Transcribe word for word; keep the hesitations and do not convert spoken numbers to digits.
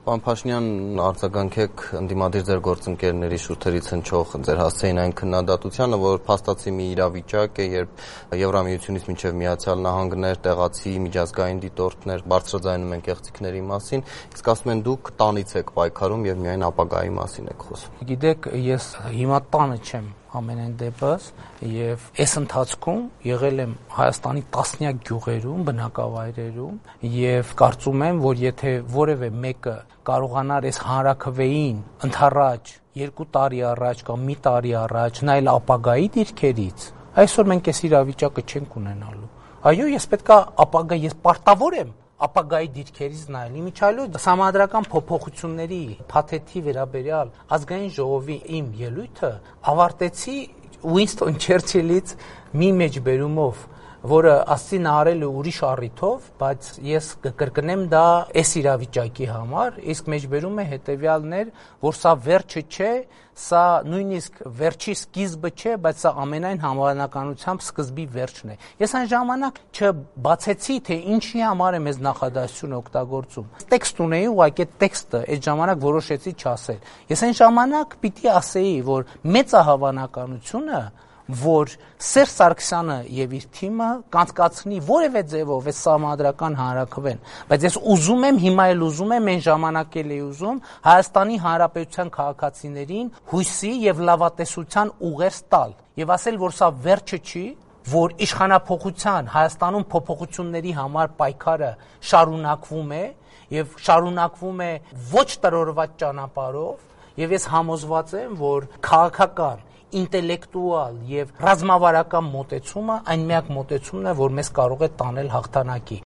Պարոն Փաշինյան, արձագանքեք ընդդիմադիր ձեր գործընկերների շուրթերից հնչող ձեր հասցեին այն քննադատությանը, որ փաստացի մի իրավիճակ է, երբ Եվրամիությունից մինչև Միացյալ Նահանգներ, տեղացի միջազգային դիտորդներ բարձրաձայնում են կեղծիքների մասին, իսկ ասում են դուք տանից եք պայքարում եւ միայն ապագայի մասին եք խոսում։ Գիտեք, ես հիմա տանը չեմ ամենայն դեպս եւ այս ընթացքում եղել եմ Հայաստանի տասնյակ գյուղերում, բնակավայրերում եւ կարծում եմ, որ եթե որևէ մեկը կարողանար այս հանրաքվեին ընդառաջ երկու տարի առաջ կամ մի տարի առաջ նայել ապագայի դիրքերից, այսօր մենք այս իրավիճակը չենք ունենալու։ Այո, ես պետքա ապագա, ես պարտավոր եմ ապագայի դիրքերից նայել։ Իմիջիայլոց համանդրական փոփոխությունների փաթեթի վերաբերյալ ազգային ժողովի իմ ելույթը ավարտեցի Ուինստոն Չերչիլից մի մեջբերումով, որը ասի նա արել է ուրիշ առիթով, բայց ես կկրկնեմ դա այս իրավիճակի համար, իսկ մեջբերումը հետեւյալն էր, որ սա վերջը չէ, սա նույնիսկ վերջի սկիզբը չէ, բայց սա ամենայն հավանականությամբ սկզբի վերջն է։ Ես այն ժամանակ չբացեցի, թե ինչի համար եմ այս նախադասությունը օգտագործում։ Տեքստ ունեի, ուղղակի տեքստը այդ ժամանակ որոշեցի չասել։ Ես այն ժամանակ պիտի ասեի, որ մեծահավանականությունը որ Սերժ Սարգսյանը եւ իր թիմը կանցկացնի որևէ ձևով այս համանդրական հանրաքվեն, բայց ես ուզում եմ, հիմա էլ ուզում եմ, այն ժամանակ էլ էի ուզում Հայաստանի Հանրապետության քաղաքացիներին հույսի եւ լավատեսության ուղերձ տալ եւ ասել, որ սա վերջը չի, որ իշխանափոխության Հայաստանում փոփոխությունների համար պայքարը շարունակվում է եւ շարունակվում է ոչ տրորված ճանապարհով եւ ես համոզված եմ, որ քաղաքական ինտելեկտուալ եւ ռազմավարական մոտեցումը այն միակ մոտեցումն է, որ մեզ կարող է տանել հաղթանակի։